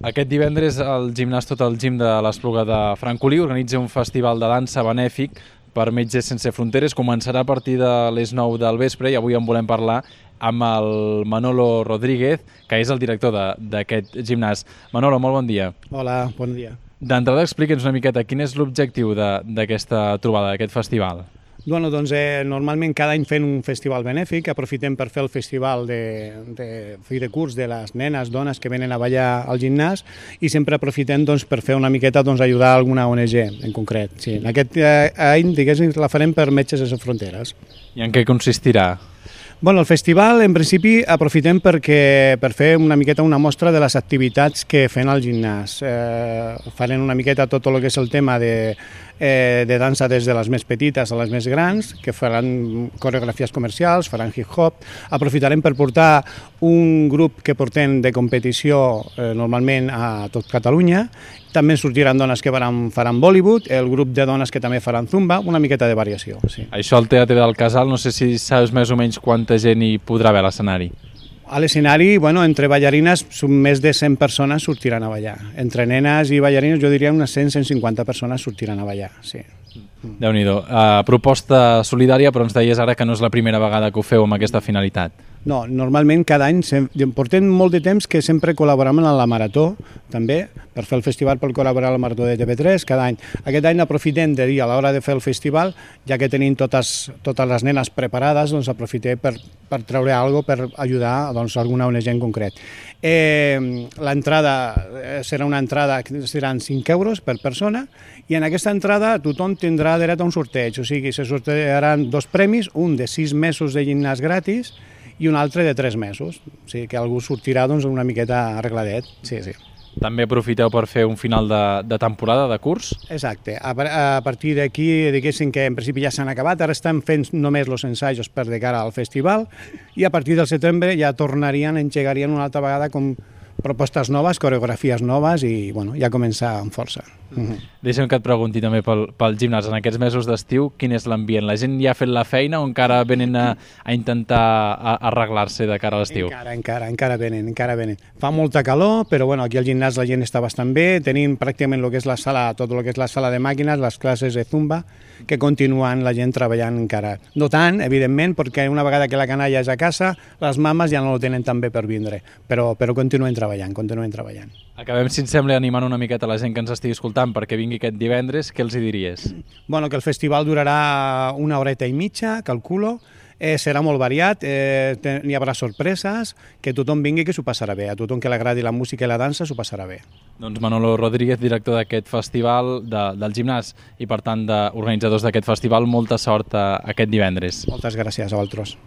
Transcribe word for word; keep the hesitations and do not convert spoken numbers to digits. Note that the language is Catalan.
Aquest divendres el gimnàs Tot el Gim de l'Espluga de Francolí organitza un festival de dansa benèfic per Metges Sense Fronteres. Començarà a partir de les nou del vespre i avui en volem parlar amb el Manolo Rodríguez, que és el director d'aquest gimnàs. Manolo, molt bon dia. Hola, bon dia. D'entrada, explica'ns una miqueta quin és l'objectiu d'aquesta trobada, d'aquest festival. Bueno, doncs, eh, normalment cada any fem un festival benèfic, aprofitem per fer el festival de, de fi de curs de les nenes, dones que venen a ballar al gimnàs i sempre aprofitem doncs, per fer una miqueta doncs, ajudar alguna O N G en concret. Sí, en aquest eh, any diguéssim, la farem per Metges Sense Fronteres. I en què consistirà? Bueno, el festival, en principi, aprofitem perquè, per fer una miqueta una mostra de les activitats que fem al gimnàs. Eh, farem una miqueta tot el que és el tema de, eh, de dansa des de les més petites a les més grans, que faran coreografies comercials, faran hip-hop. Aprofitarem per portar un grup que portem de competició eh, normalment a tot Catalunya. També sortiran dones que faran, faran Bollywood, el grup de dones que també faran Zumba, una miqueta de variació. Sí. Això al Teatre del Casal, no sé si saps més o menys quanta gent hi podrà haver a l'escenari. A l'escenari, bueno, entre ballarines, més de cent persones sortiran a ballar. Entre nenes i ballarines, jo diria unes cent a cent cinquanta persones sortiran a ballar, sí. Déu-n'hi-do. Uh, proposta solidària, però ens deies ara que no és la primera vegada que ho feu amb aquesta finalitat. No, normalment cada any, portem molt de temps que sempre col·laborem en la Marató, també, per fer el festival per col·laborar a la Marató de T V tres, cada any. Aquest any aprofitem de dir, a l'hora de fer el festival, ja que tenim totes, totes les nenes preparades, doncs aprofitem per, per treure alguna cosa per ajudar doncs, alguna O N G en concret. Eh, L'entrada serà una entrada que seran cinc euros per persona i en aquesta entrada tothom tindrà dret a un sorteig, o sigui, se sortejaran dos premis, un de sis mesos de gimnàs gratis i un altre de tres mesos, o sigui que algú sortirà doncs, una miqueta arregladet. Sí, sí. També aprofiteu per fer un final de, de temporada, de curs? Exacte. A, a partir d'aquí, diguéssim que en principi ja s'han acabat, ara estan fent només els ensajos per de cara al festival i a partir del setembre ja tornarien, engegarien una altra vegada com propostes noves, coreografies noves i bueno, ja començar amb força. Uh-huh. Deixa'm que et pregunti també pel, pel gimnàs. En aquests mesos d'estiu, quin és l'ambient? La gent ja ha fet la feina o encara venen a, a intentar a, arreglar-se de cara a l'estiu? Encara, encara, encara venen, encara venen. Fa molta calor, però bueno, aquí al gimnàs la gent està bastant bé. Tenim pràcticament el que és la sala, tot el que és la sala de màquines, les classes de Zumba, que continuen la gent treballant encara. No tant, evidentment, perquè una vegada que la canalla és a casa, les mames ja no ho tenen tan bé per vindre, però, però continuen treballant, continuen treballant. Acabem, si et sembla, animant una miqueta la gent que ens estigui escoltant perquè vingui aquest divendres. Què els hi diries? Bueno, que el festival durarà una horeta i mitja, calculo. Eh, serà molt variat, eh, n'hi haurà sorpreses, que tothom vingui que s'ho passarà bé. A tothom que li agradi la música i la dansa s'ho passarà bé. Doncs Manolo Rodríguez, director d'aquest festival de, del gimnàs i per tant d'organitzadors d'aquest festival, molta sort a, aquest divendres. Moltes gràcies a vosaltres.